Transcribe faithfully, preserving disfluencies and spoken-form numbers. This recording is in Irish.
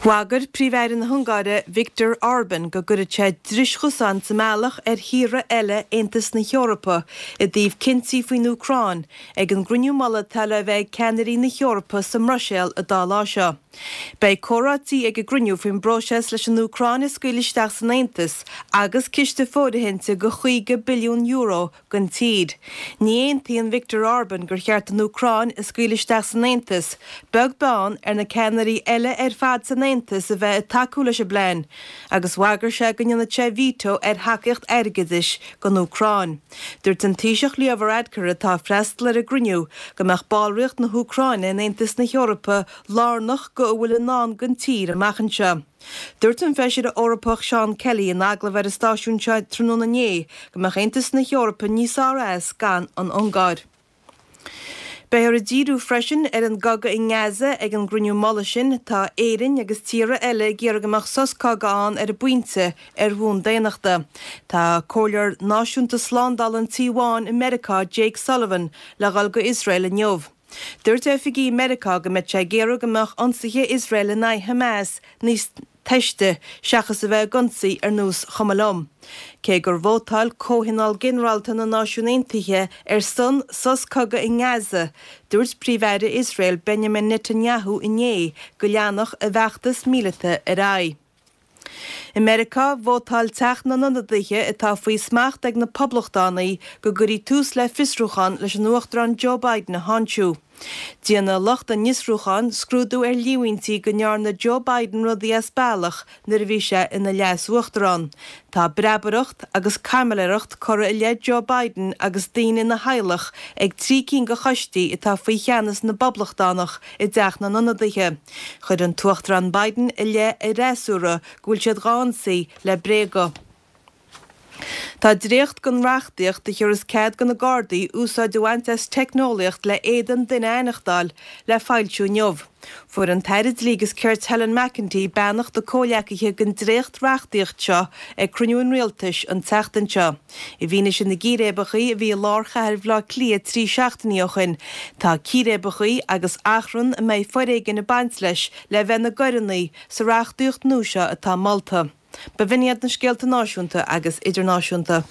Bhagair Príomh-Aire na hUngáire Viktor Orban go gcuirfeadh sé dris chosán sa mbealach ar thíortha eile Aontas na hEorpa i dtaobh cinntí faoin Úcráin ag an gcruinniú mullaigh atá le bheith ag ceannairí na hEorpa sa mBruiséil an dá lá seo. Beidh comhráití ag an gcruinniú faoin bpróiseas leis an Úcráin a scaoileadh isteach san Aontas agus ciste fóirithinte de chaoga billiún euro don tír. Ní aontaíonn Viktor Orban gur cheart an Úcráin a scaoileadh isteach san Aontas, beag beann ar na ceannairí eile ar fad san Aontas a bheith ag tacú leis an bplean, agus bhagair sé go ndéanfadh sé veto ar thacaíocht airgeadais don Úcráin. Dúirt an Taoiseach Leo Varadkar atá ag freastal ar an gcruinniú go mbeadh ballraíocht na hÚcráine in Aontas na hEorpa lárnach go a bhfuil i ndán don tír amach anseo. Dúirt an Feisire Eorpach Seán Kelly in agallamh ar an stáisiún seo tráthnóna inné go mbeadh Aontas na hEorpa níos fearr as gan an Ungáir. Beifear ag díriú freisin ar an gcogadh i nGaza ag an gcruinniú mullaigh sin. Tá Éirinn agus tíortha eile ag iarraidh go mbeadh sos cogaidh ann ar an bpointe ar bhonn daonnachta. Tá Comhairleoir Náisiúnta Slándála an Tí Bháin i Meiriceá Jake Sullivan le dhul go Iosrael inniu. Dúirt oifigigh i Meiriceá go mbeidh sé ag iarraidh go mbeadh ionsaithe Iosrael in aghaidh Hamas níos teiste seachas a bheith ag ionsaí ar nós chuma liom. Cé gur vótáil Comhthionól Ginearálta na Náisiún Aontaithe ar son sos cogaidh i nGaza, dúirt Príomh-Aire Iosrael Benjamin Netanyahu inné go leanfadh a bhfeachtas míleata ar aghaidh. I Meiriceá, vótáil Teach na nIonadaithe atá faoi smacht ag na Poblachtánaigh go gcuirfí tús le fiosrúchán leis an Uachtarán Joe Biden a tháinseamh. Déanfaidh lucht an fhiosrúcháin scrúdú ar líomhaintí go ndearna Joe Biden rudaí as bealach nuair a bhí sé ina leas-uachtarán. Tá breabaireacht agus caimiléireacht curtha i leith Joe Biden agus daoine ina theaghlach ag trí cinn de choistí atá faoi cheannas na bPoblachtánach i dTeach na nIonadaithe. Chuir an tUachtarán Biden i leith a fhreasúra go bhfuil siad dhá ionsaí le bréaga. Tá dréacht den reachtaíocht a thabharfas cead do na Gardaí úsáid a bhaint as teicneolaíocht le éadan duine a aithneachtáil le foilsiú inniu. Fuair an tAire Dlí agus Cirt Helen McEntee beannacht a comhghleacaithe don dréacht reachtaíocht seo ag cruinniú an Rialtais an tseachtain seo. I bhfianaise na gcíréibeacha a bhí i lár chathair Bhaile Átha Cliath trí seachtainí ó shin, tá círéibeacha agus achrann a mbeidh foréigean ag baint leis le bheith ina gcoireanna sa reachtaíocht nua seo atá molta. B'in iad na scéalta náisiúnta agus idirnáisiúnta.